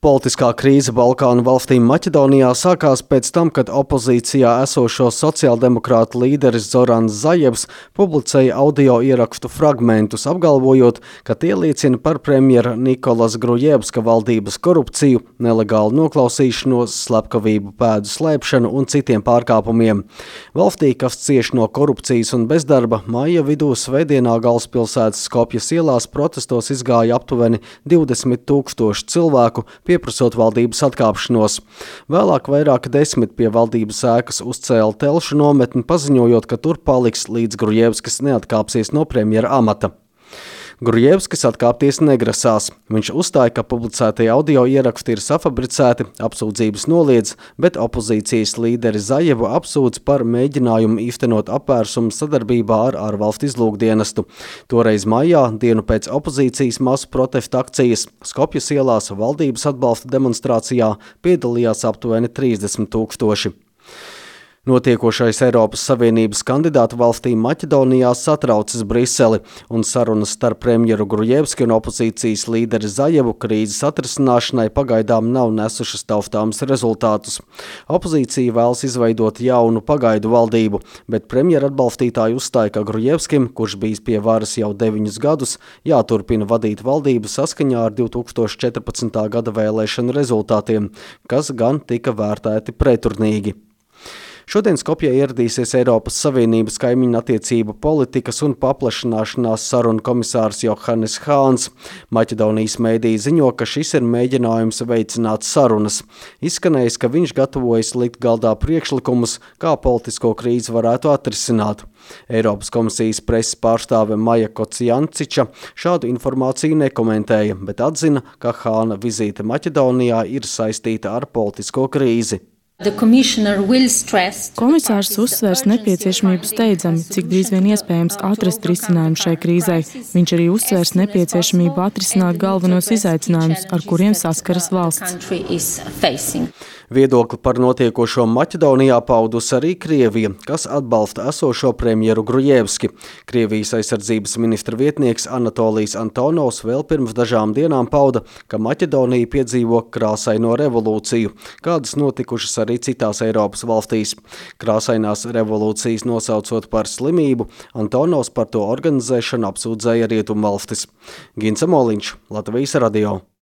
Politiskā krīze Balkānu valstīm Maķedonijā sākās pēc tam, kad opozīcijā esošo sociāldemokrātu līderis Zorans Zajevs publicēja audio ierakstu fragmentus, apgalvojot, ka tie liecina par premjera Nikolas Grujevska valdības korupciju, nelegālu noklausīšanos, slepkavību pēdu slēpšanu un citiem pārkāpumiem. Valstī, kas cieš no korupcijas un bezdarba, māja vidū svētdienā galvaspilsētas Skopjas ielās protestos izgāja aptuveni 20 000 cilvēku, pieprasot valdības atkāpšanos. Vēlāk vairāk 10 pie valdības ēkas uzcēla telšu nometni, paziņojot, ka tur paliks līdz Grujevskis neatkāpsies no premjera amata. Grujevskis atkāpties negrasās. Viņš uzstāja, ka publicētie audio ieraksti ir safabricēti, apsūdzības noliedz, bet opozīcijas līderi Zajevu apsūdz par mēģinājumu īstenot apvērsumu sadarbībā ar ārvalstu izlūkdienestu. Toreiz maijā, dienu pēc opozīcijas masu protesta akcijas, Skopjas ielās valdības atbalsta demonstrācijā piedalījās aptuveni 30 000. Notiekošais Eiropas Savienības kandidātu valstīm Maķedonijā satraucas Briseli, un sarunas starp premjeru Grujevski un opozīcijas līderi Zajevu krīzes atrisināšanai pagaidām nav nesušas taustāmus rezultātus. Opozīcija vēlas izveidot jaunu pagaidu valdību, bet premjera atbalstītāji uzstāja, ka Grujevskim, kurš bijis pie varas jau 9 gadus, jāturpina vadīt valdību saskaņā ar 2014. gada vēlēšanu rezultātiem, kas gan tika vērtēti preturnīgi. Šodien Skopjē ieradīsies Eiropas Savienības kaimiņu attiecību politikas un paplašināšanās sarunu komisārs Johannes Hāns. Maķedonijas mēdīji ziņo, ka šis ir mēģinājums veicināt sarunas. Izskanējis, ka viņš gatavojas likt galdā priekšlikumus, kā politisko krīzi varētu atrisināt. Eiropas komisijas preses pārstāve Maja Kocijanciča šādu informāciju nekomentēja, bet atzina, ka Hāna vizīte Maķedonijā ir saistīta ar politisko krīzi. Komisārs uzsvērs nepieciešamību steidzami, cik drīz vien iespējams atrast risinājumu šai krīzei. Viņš arī uzsvērs nepieciešamību atrisināt galvenos izaicinājumus, ar kuriem saskaras valsts. Viedokli par notiekošo Maķedonijā paudus arī Krievija, kas atbalsta esošo premjeru Grujevski. Krievijas aizsardzības ministra vietnieks Anatolijs Antonovs vēl pirms dažām dienām pauda, ka Maķedonija piedzīvo krāsaino revolūciju, kādas notikušas arī citās Eiropas valstīs. Krāsainās revolūcijas nosaucot par slimību, Antonovs par to organizēšanu apsūdzēja Rietumvalstis. Gints Amoliņš, Latvijas radio.